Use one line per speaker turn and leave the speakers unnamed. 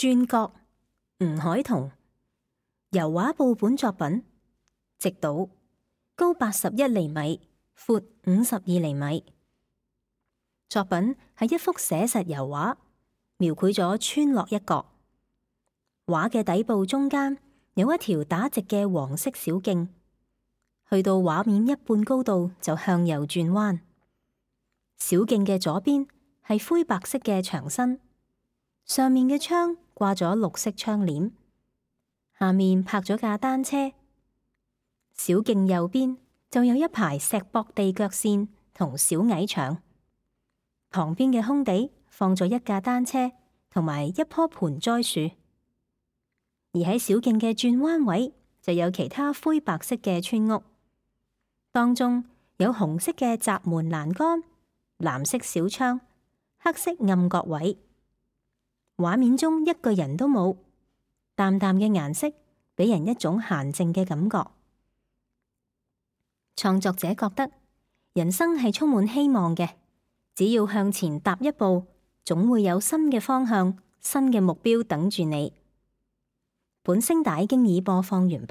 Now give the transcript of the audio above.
轉角，吳海彤。油畫布本作品，直島，高81厘米，闊52厘米。作品係一幅寫實油畫，描繪咗村落一角。畫嘅底部中間有一條打直嘅黃色小徑，去到畫面一半高度就向右轉彎。小徑嘅左邊係灰白色嘅牆身，上面嘅窗掛咗綠色窗簾，下面泊咗架單車。小徑右邊就有一排石壆地腳線同小矮牆，旁邊嘅空地放咗一架單車同埋一棵盆栽樹，而喺小徑嘅轉彎位就有其他灰白色嘅村屋，當中有紅色嘅閘門欄杆、藍色小窗、黑色暗角位。畫面中一個人都冇，淡淡嘅顏色俾人一種閒靜嘅感覺。創作者覺得人生係充滿希望嘅，只要向前踏一步，總會有新嘅方向、新嘅目標等住你。本聲帶經已播放完畢。